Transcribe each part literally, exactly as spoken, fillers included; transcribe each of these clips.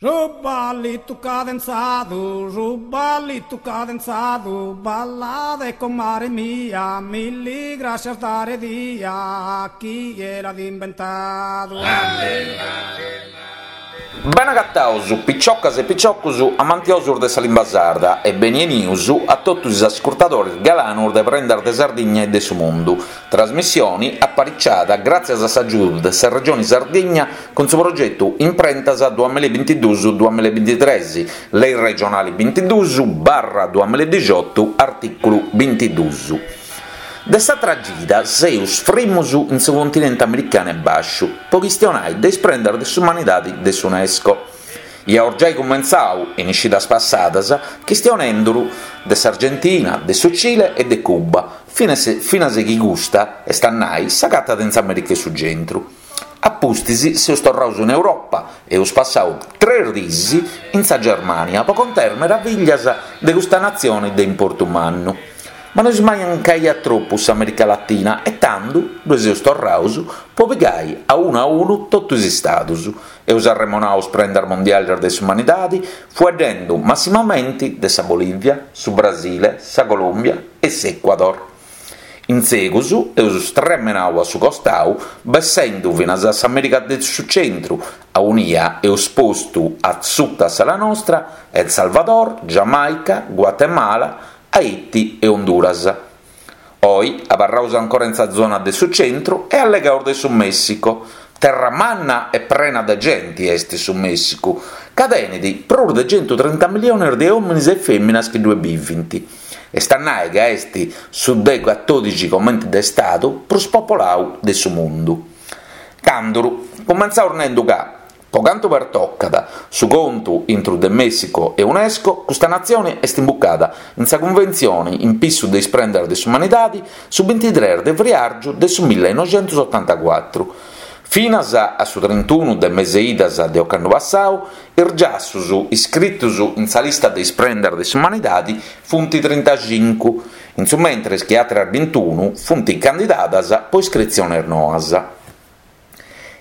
Su ballitu cadenzadu, su ballitu cadenzadu, ballade comare mia, milli grascias dare dia, chie l'at imbentadu. Bene agataus, piciocas e piciocus amantiosus de sa limba sarda e beni 'enius a totus is ascurtadores galanos de Prendas de Sardigna e de su Mundu, trasmissione apariciada gràtzias a s'agiudu de sa Regione Sardigna cun su progetu Imprentas duamilla e bintiduus duamilla e bintitres, Lei regionale bintiduus barra duamilla e dixiotu, artìculu bintiduus. De s'atra cida seus frimus in su continente americanu 'e bàsciu po chistionai de is prendas de s'umanidadi de s'UNESCO. Iaus giai cumentzau, in is cidas passadas, chistionenduru de s'Argentina, de su Cile e de Cuba, finas finas chi custa, est a nai, s'agatat in s'America 'e su Centru. A pustis seus torraus in Europa e eus passau tres diis in sa Germania po contai is meraviglias de custa natzione de importu mannu. Ma nosi mancaiat tropu s'America Latina e tando ddoi seus torraus po pigai a unu a unu totu is istadus. Eus arremonau is prendas mondiales de s'umanidade fueddendo massimamenti de sa Bolivia, su Brasile, sa Colòmbia e s'Ecuador. In segus eus stremenau a su costau bessendo finas a s'America de su Centru, aunia eus postu a suta s'ala nostra El Salvador, Giamaica, Guatemala, Haiti e Honduras. Oi abarraus ancora in sa zona de su centru e allegaus de su Messico. Terra manna e prena de genti est su Messicu, ca tenet prus de centutrinta miliones de òmines e fèminas chi ddue bivint. Est a nai ca est su de catòdixi comenti de stadu prus popolau de su mundu. Tanduru, cumentzaus nendu ca, po cantu pertocat su contu intru de Messico e UNESCO, custa natzione est imbucada in sa cunventzione in pissu de is prendas de s'umanidade su bintitres de friàrgiu de su millenoixentosotantacuatru. Finas a su trintunu de mese idas de ocannu passau, is giassus iscritos in sa lista de is prendas de s'umanidade funt trintacincu, in su mentres chi àteras bintunu funt candidadas po iscritziones noas.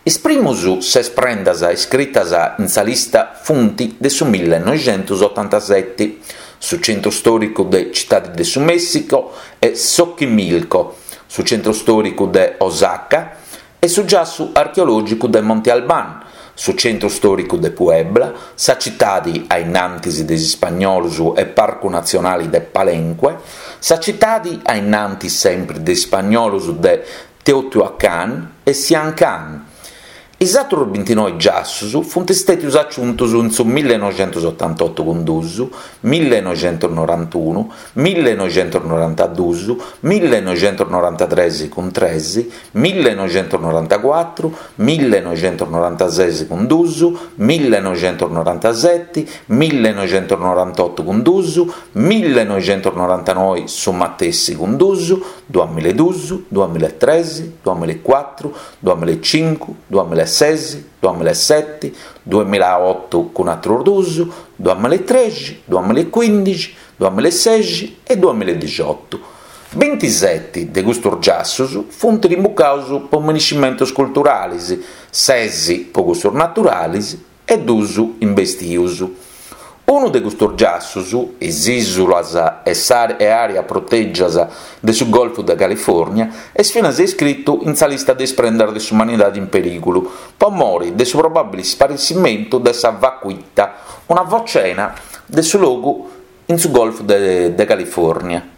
Is primos ses prendas iscritas in sa lista funt de su millenoixentosotantasete, su centru stòricu de Citade de su Messico e Xochimilco, su centru stòricu de Oaxaca e su giassu archeològicu de Monte Albán, su centru stòricu de Puebla, sa citade a innantis de is ispagnolos e Parcu Natzionale de Palenque, sa citade a innantis sempre de is ispagnolos de Teotihuacán e Siancán. Is àteros bintinoe giassus funt istètios aciuntos in su millenoixentosotantoto cun duus, millenoixentonorantunu, millenoixentonorantaduus, millenoixentonorantatres cun tres, millenoixentonorantacuatru, millenoixentonorantases cun duus, millenoixentonorantaseti, millenoixentonorantoto cun duus, millenoixentonorantanoe su matessi cun duus, duamilla e duus, duamilla e tres, duamilla e cuatru, duamilla e cincu, duamilla e ses, duamilla e seti, duamilla e oto cun àteros duus, duamilla e trexi, duamilla e cuindixi, duamilla e sexi e duamilla e dixiotu. Bintiseti de custos giassus funt rimbucados po miniscimentos culturales, ses po cussos naturales e duus imbestios. Unu de custos giassus, is ìsulas e e àreas protègias de su Golfu de Califòrnia, est finas iscritu in sa lista de is prendas de s'umanidade in perìgulu, po more de su probàbile isparessimentu de sa vaquita, una focena de su logu in su Golfu de, de Califòrnia.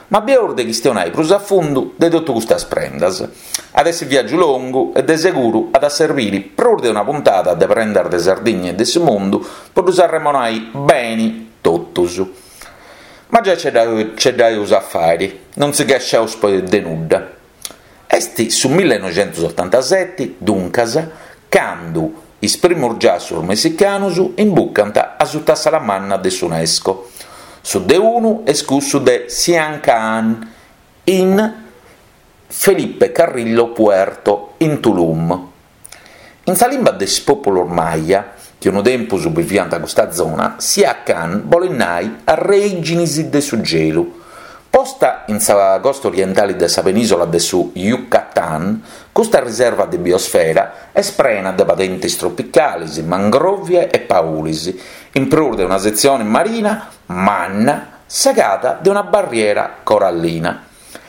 Ma bieus de chistionai prus a fundu de totu custas prendas. At essi viàgiu longu e de seguru at a servire prus de una puntada de prendas de Sardigna e de su mundu po ddus arremonai beni totus. Ma giai ce dd'aeus a fàere, non si chesciaus poi de nudda. Est su millenoixentosotantaseti, duncas, cando is primos giassus messicanos imbucant a suta s'ala manna de s'UNESCO. Su de unu est cussu de Siancán in Felipe Carrillo Puerto, in Tulum. In sa limba de is pòpulos Maya, chi unu tempus biviant a custa zona, Siancán bolet nai arrèiginis de su gelu. Posta in sa costa orientale de sa penìsola de su Yucatán, Custa riserva de biosfera est prena de padentes tropicales, mangrovie e paules, in prus de una setzione marina manna segada de una barriera corallina.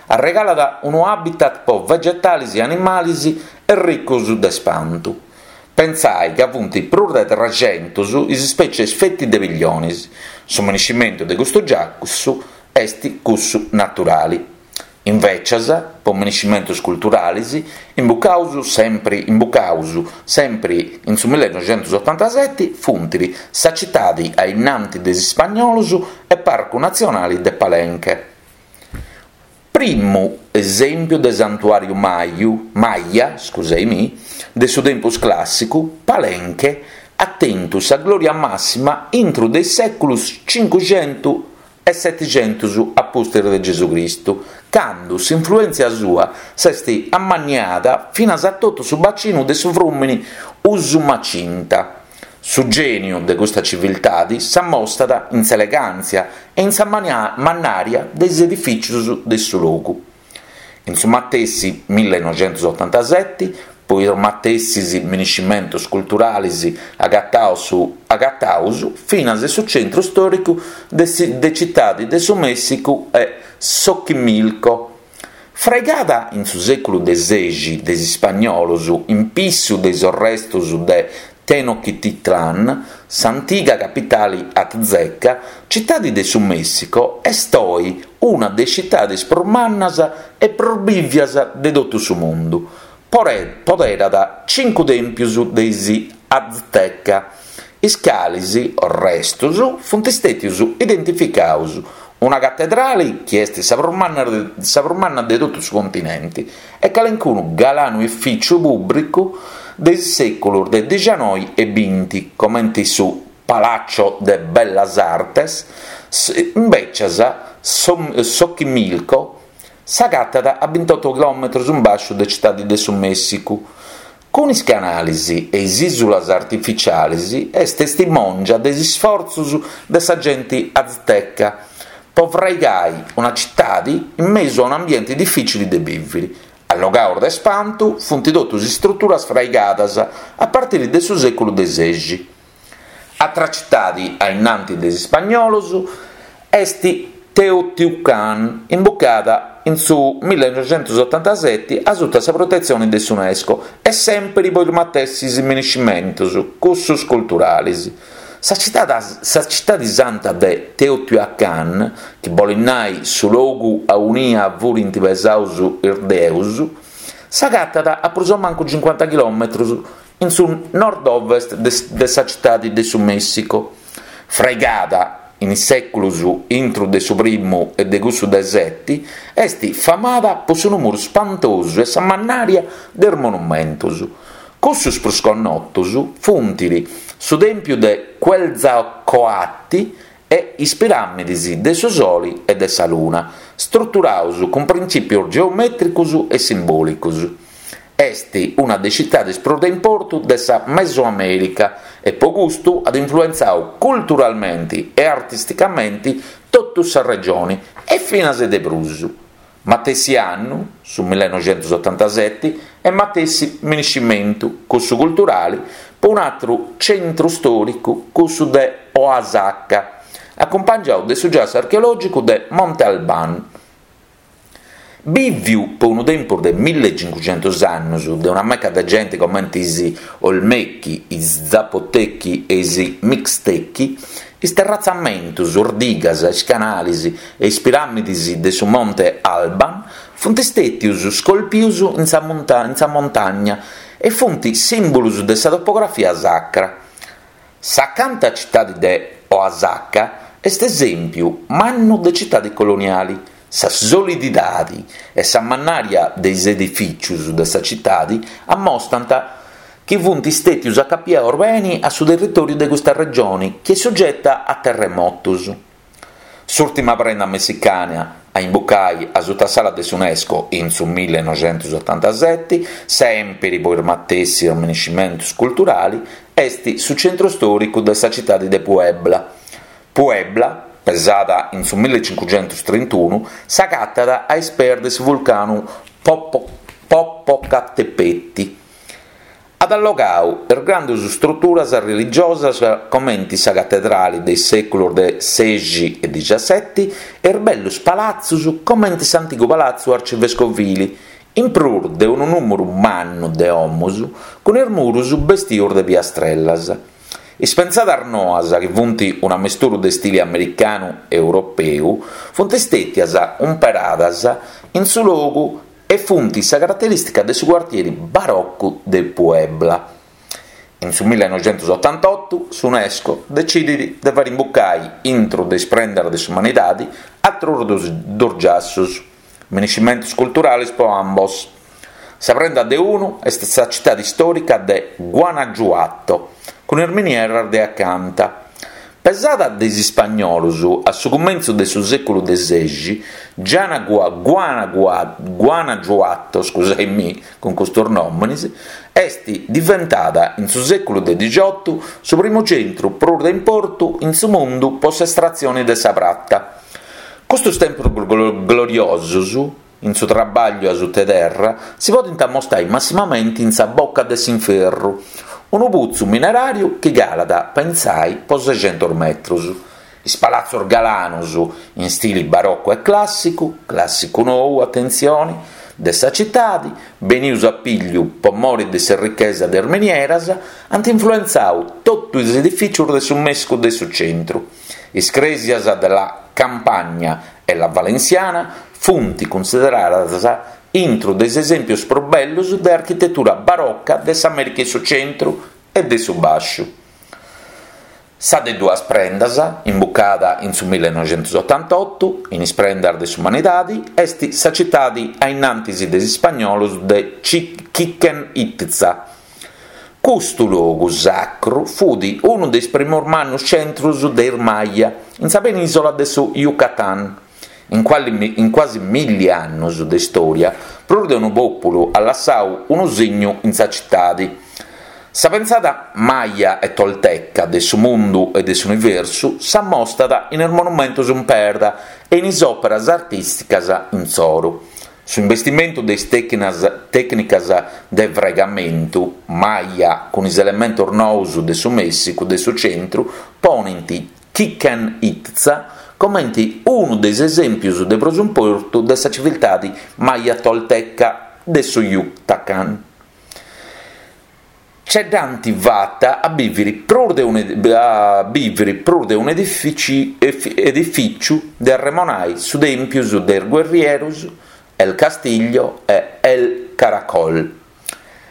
Arregalat unu habitat pro vegetales e animales ricos de spantu. Pensai ca funt prus de trescentos is ispètzies feti de pilliones. Su miniscimentu de custu giassu est cussu naturale. Invecias, po miniscimentos culturales, imbucaus sempre, imbucaus sempre in su millenoixentosotantaseti, funt sa citade a innanti de is ispagnolos e Parcu Natzionale de Palenque. Primu esèmpiu de santuàriu maiu, Maya, scusaimi, de su tempus clàssicu, Palenque at tentu sa glòria màssima intro de is sèculos Cincuxentos e Setixentos a pustis de Gesù Cristu, cando s'influèntzia sua s'est ammanniada finas a totu su bacinu de su frùmene Usumacinta. Su gèniu de custa civiltade s'ammostat in s'elegàntzia e in sa mannària de is edifìtzios de su logu. In su matessi millenoixentosotantaseti, po is matessis miniscimentos culturales agataus, agataus finas su centru stòricu de, de Citade de su Mèssicu e Xochimilco. Fraigada in su sèculu de sexi de is ispagnolos in pissu de is restos de Tenochtitlan, s'antiga capitale azteca, Citade de su Mèssico est oe una de is citades prus mannas e prus bìvias de totu su mundu. Poderat cincu tèmpios de is Azteca, is cales restos funt istètios identificados, una catedrale chi est sa prus manna de, sa prus manna de totu su continente e calencunu galanu edifìtziu pùblicu de is sèculos de dicianoi e binti, comente su Palacio de Bellas Artes, invecias Xochimilco s'agatat a ventotto chilòmetros in basciu de Citade de su Mèssicu. Cun is canales e is ìsulas artificiales est testimòngia de is isfortzos de sa gente azteca po fraigare una citade in mesu a un ambiente difficile de bìvere. Allogados de spantu funt totus istruturas fraigadas a partire de su sèculu de sexi. Atra citade a innanti de is ispagnolos est Teotihuacan, imbucada in su millenoixentosotantaseti a sutta sa protetzione de s'UNESCO e sempre po is matessis miniscimentos, cussos culturales. Sa citade, sa citade santa de Teotihuacan, chi bolit nai su logu aunia furint pesaus is deus, s'agatat a prus o mancu cincuanta chilòmetros in su nord-ovest de, de sa citade de su Mèssico. Fraigada in is sèculos intro de su primu e de cussu de seti, est famada po su numuru spantosu e sa mannària de is monumentos. Cussos prus connotos funt su Tèmpiu de Quetzalcoatl e is piràmides de su Sole e de sa Luna, struturados cun printzìpios geomètricos e simbòlicos. Est una de is citades prus de importu de sa Mesoamèrica e po custu at influentzadu culturalmente e artisticamente totu sa regione e finas de prus. Matessi annu, su millenoixentosotantaseti, e matessi miniscimentu, cussu culturale, po un àteru centru stòricu, cussu de Oaxaca, acumpangiadu de su giassu archeològicu de Monte Albán. Bìviu po unu tempus de millecincuxentos annos de una meca de gente comente is Olmechi, is Zapotechi e is Mixtechi, is terratzamentos, is digas, is canales e is piràmides de su Monte Alban funt istètios scolpios in sa, monta in sa montagna e funt sìmbulos de sa topografia sacra. S'acanta citade de Oaxaca est esèmpiu mannu de citade coloniale. Sa solididade e sa mannària de is edifìtzios de sa citade ammostant chi funt istètios acapiados bene a su territòriu de custa regione, chi est sugeta a terremotos. S'ùrtima prenda messicana a imbucare a sutta s'ala de s'UNESCO in su millenoixentosotantaseti, sempre po is matessi miniscimentos culturali, est su centru stòricu de sa citade de Puebla. Puebla, pesada in su millecincuxentostrintunu, s'agatat a is peis de su vulcanu Popo, Popocatépetl. At allogau is grandus struturas religiosas comenti sa catedrali de is sèculus de sexi e dixaseti e is bellus palatzus comenti s'antigu palatzu arcivescovili, in prus de unu nùmeru mannu de domus cun is murus bestius de piastrellas. Is pensadas noas, chi funt un'amesturu de stili americanu e europeu, funt stètias umperadas in su logu e funt sa caraterìstica de su cuartieri barocu de Puebla. In su millenoixentusotantotu s'UNESCO detzidit de fàere imbucai intro de is prendas de s'umanidade àteros duos duos giassos, minescimentos culturales pro ambos. Sa prenda de unu est sa citade istòrica de Guanajuato, cun is minieras de acanta. Pesada de is ispagnolos a su cumentzu de su sèculu de sexi, Gianagua, Guanagua, Guanajuato, scusai-mi cun custos nòmenes, est diventada in su sèculu de dixiotu su primu centru prus de importu in su mundu pro s'estratzione de sa prata. Custos tempos gloriosos in su trabagliu a sutta terra si podent ammostare massimamente in sa Boca de s'Inferru, unu putzu mineràriu chi calat, pensai, pro sescentos metros. Is palatzos galanos in stili baroccu e clàssicu, clàssicu nou, atentzione, de sa citade, benius a pigliu pro more de s'errichesa de is minieras, ant influentzadu totu is edifìtzios de su Mèssicu de su centru. Is crèsias de la Campagna e la Valenciana funt cunsideradas intro de is esèmpios prus bellos de architetura barocca de s'Amèrica 'e su Centru e de su Bàsciu. Sa de duas prendas, imbucada in su millenoixentusotantotu in is prendas de s'umanidade, est sa citade a innantis de is ispagnolos de Chichen Itza. Custu logu sacru fut unu de is primos mannos centros de is Maya in sa penìsola de su Yucatán. In, quali, in quasi milli annos de istòria, prus de unu pòpulu at lassadu unu signu in sa citade. Sa pensada Maya e Tolteca de su mundu e de s'universu s'ammostat in is monumentos in perda e in is òperas artìsticas insoro. Su investimentu de is tècnicas de fraigamentu Maya cun is elementos nous de su Mèssicu de su centru ponent Chichen Itza comente unu de is esèmpios de prus importu de sa civiltade Maya-Tolteca de su Yucatán. Ce dd'ant fata a bìvere prus de un, a bìvere prus de un edifìciu de arremonare su Tèmpiu de is Guerrieros, El Castillo e El Caracol.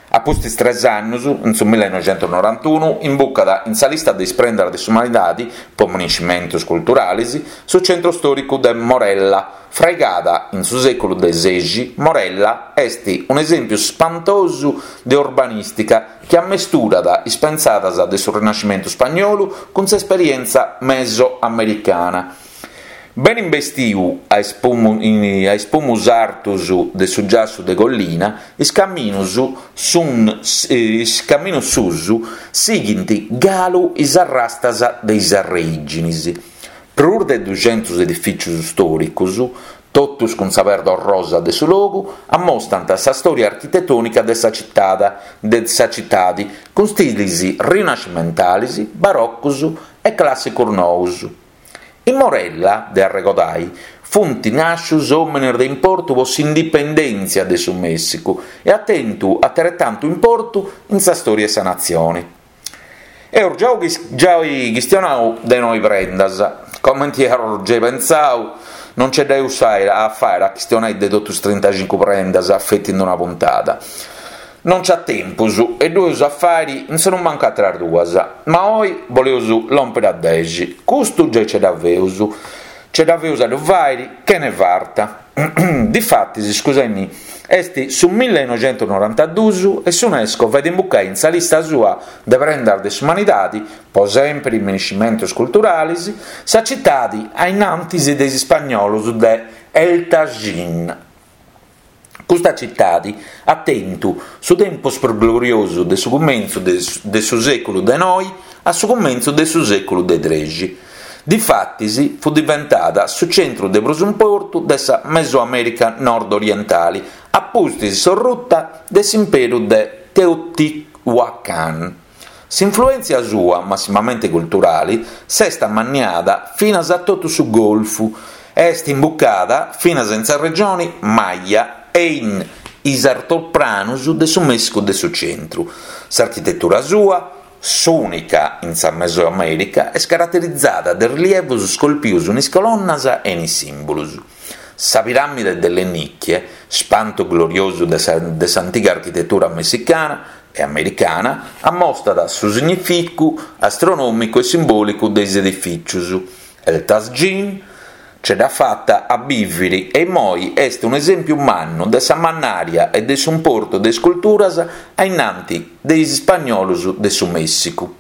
A pustis tres annos, in su millenoixentunorantunu, imbucat in sa lista de is prendas de s'umanidade pro minescimentos culturales su centru istòricu de Morella. Fraigada in su sèculu de sexi, Morella est un'esèmpiu spantosu de urbanìstica chi ammesturat is pensadas de su Rinascimentu ispagnolu cun s'esperièntzia mesoamericana. Bene investiu a is pumus artos de su giassu de collina, is caminos sun, is caminos suus sighint galu is arrastas de is arreìgines. Prus de duxentos edifìtzios istòricos, totus cun sa perda orrosa de su logu, ammostant sa stòria architetònica de sa citade, de sa citade cun stilis rinascimentales, barocos e clàssicos nous. In Morella, de arregodai, funt nàscios òmines de importu pro s'indipendèntzia de su Mèssicu e at tentu ateretantu importu in sa stòria de sa natzione. Eus giai giai chistionau de noi prendas, comenti eus giai pentzau, non ce dda eus a fàere a chistionai de totus trintacincu prendas feti in una puntada. Non c'at tempus e ddu eus a fàere in sonumancu àteras duas, ma oi boleus lòmpere a dexi. Custu giai ce dda feus. Ce dda feus a ddu fàere chene farta. Difatis, scusai-mi, est su millenoixentunorantaduus e s'UNESCO fait imbucai in sa lista sua de prendas de s'umanidade, po sèmpere minescimentos culturales, sa citade a innantis de is ispagnolos de El Tajín. Custa citade at tentu su tempus prus gloriosu de su cumentzu de su sèculu de noi a su cumentzu de su sèculu de trexi. Difatis fut diventada su centru de prus importu de sa Mesoamèrica nord-orientali, a pustis s'orruta de s'imperu de Teotihuacan. S'influèntzia sua, massimamente culturale, s'est ammanniada finas a totu su Golfu e est imbucada finas in sa regione Maya e in is altopranos de su Mèssicu de su centru. S'architetura sua, s'ùnica in sa Mesoamèrica, est caraterizada de rilievos scolpidos in is colonnas e in is sìmbulos. Sa piràmide delle Nicchie, spantu gloriosu de sa de s'antiga architetura messicana e americana, ammostat su significu astronòmicu e simbòlicu de is edifìtzios. El Tajin ce dd'at fata a bìvere e immoi est un'esèmpiu mannu de sa mannària e de s'importu de is culturas a innanti de is ispagnolos de su Mèssicu.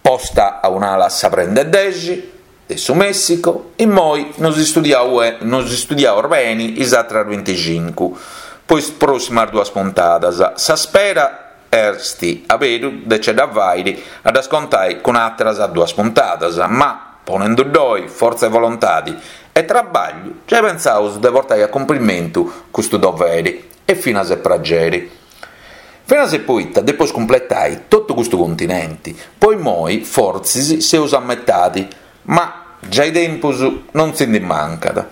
Posta a un'ala sa prenda 'e dexi de su Mèssico, immoi nos istudiaus nos istudiaus beni is àteras binticincu po is pròssimas duas puntadas. Sa spera est aberu de ce dda fàere a ddas contai cun àteras duas puntadas, ma ponendu ddoi fortza e volontade e trabagliu, giai pentzaus de portai a cumprimentu custu dovere e finas e pragere. Finas e poita depeus cumpletai totu custu continente, po immoi fortzis seus a metade, ma giai tempus non si ndi mancat.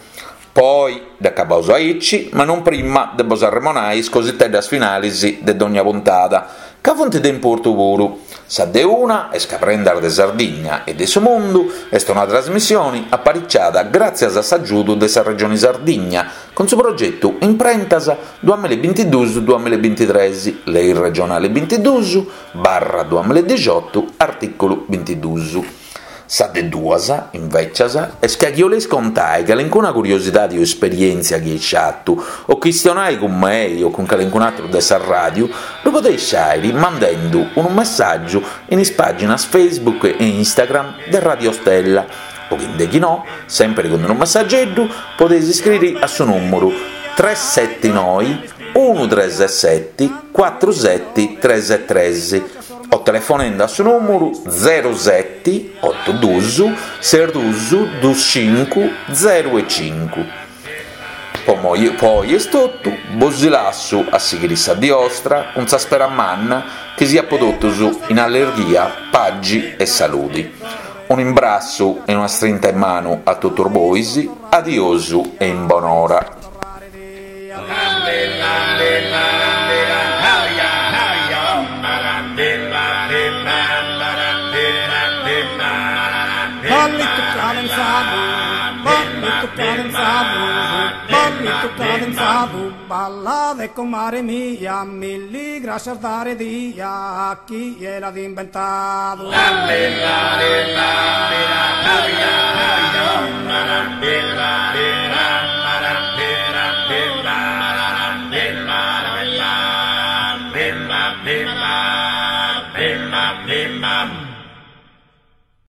Poi dd'acabaus aici, ma non prima de bos arremonai is cositeddas finales de dogna puntada, ca funt de importu puru. Sa de una est ca Prendas de Sardigna e de su Mundu est una trasmissione apariciada gràtzias a s'agiudu de sa Regione Sardigna cun su progetu Imprentas duamilla e bintiduus duamilla e bintitres, Lei regionale bintiduus barra duamilla e dixiotu, artìculu bintiduus. Sa de duas, invècias, est ca chi 'oleis contai calincuna curiosidade o esperièntzia chi eis fatu, o chistionai cun mei o cun calincun'àteru de sa ràdiu, ddu podeis fàere mandendu unu messàgiu in is pàginas Facebook e Instagram de Radio Stella, o chi nde chi no, sèmpere cun unu messageddu, podeis iscriri a su nùmeru tres seti noi unu tres seti cuatru seti tres tres o telefonende a su nùmeru zero seti otu dus ses dus dus cincu zero e cincu. Po moi po oi est totu, bos lassu a sighiri sa die 'ostra cun sa spera manna chi siat po totus in allerghia, pagi e saludi. Un'imbrassu e una strinta 'e manu a totus bois, adiosu e in bonora. Ballito cadenzado, ballito cadenzado, ballito cadenzado, balla de comare mia, milli gracias dare dia a chie l'at inventadu.